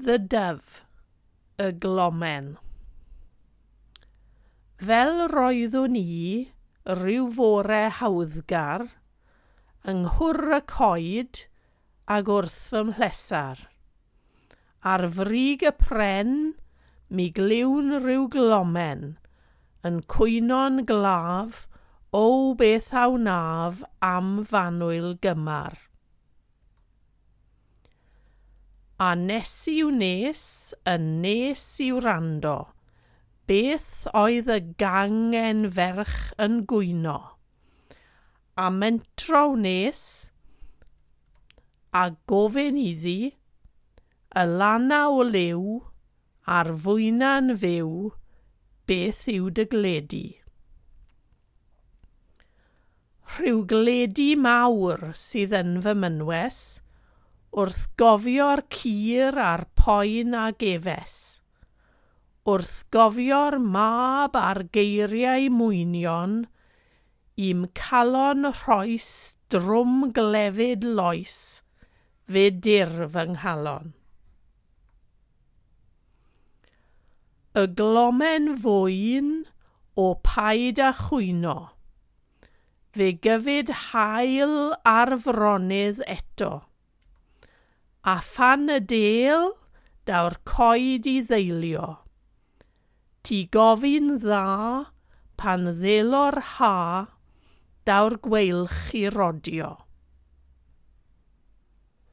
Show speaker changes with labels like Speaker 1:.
Speaker 1: The Dove, y glomen. Fel roeddwn i, rhyw fore hawddgar, yng nghwr y coed ag wrth fy mhlesar. Ar frig y pren, mi glywn rhyw glomen, yn cwyno'n glaf, o beth a wnaf am f'annwyl gymar. A nes i'w nes, yn nes i wrando, beth oedd y gangen ferch yn gwyno. A mentro wnes, a gofyn iddi, y lana o liw, a'r fwyna'n fyw, beth yw dy gledu? Rhyw gledu mawr sydd yn fy mynwes, wrth gofio'r cur a'r poen a gefes, wrth gofio'r mab a'r geiriau mwynion, i'm calon rhoes drwm glefyd loes, fe dir fy nghalon. Y glomen fwyn o paid a chwyno, fe gyfyd haul ar fronydd eto. A phan y del, daw'r coed i ddeilio. Ti gofyn dda, pan ddelo'r ha, daw'r gweilch i rodio.